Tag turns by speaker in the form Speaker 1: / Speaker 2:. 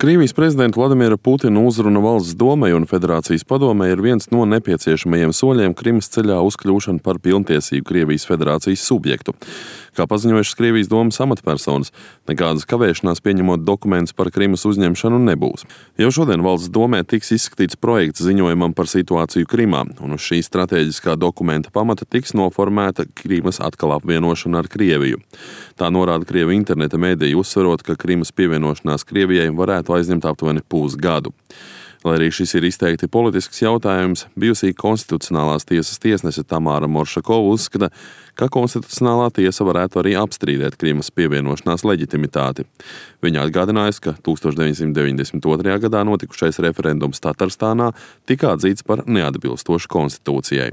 Speaker 1: Krievijas prezidenta Vladimira Putina uzruna valsts domai un Federācijas padomei ir viens no nepieciešamajiem soļiem Krimas ceļā uz kļūšanu par pilntiesīgu Krievijas Federācijas subjektu. Kā paziņojušas Krievijas domas amatpersonas, nekādas kavēšanās pieņemot dokumentus par Krimas uzņemšanu nebūs. Jau šodien valsts domē tiks izskatīts projekts ziņojumam par situāciju Krimā, un uz šī strateģiskā dokumenta pamata tiks noformēta Krimas atkal apvienošana ar Krieviju. Tā norāda Krievu interneta mēdīji, uzsverot, ka Krimas pievienošanās Krievijai varētu aizņemt aptuveni pusgadu. Lai arī šis ir izteikti politisks jautājums, bijusī Konstitucionālās tiesas tiesnese Tamāra Moršakova uzskata, ka Konstitucionālā tiesa varētu arī apstrīdēt Krimas pievienošanās leģitimitāti. Viņa atgādinājusi, ka 1992. gadā notikušais referendums Tatarstānā tika atzīts par neatbilstošu konstitūcijai.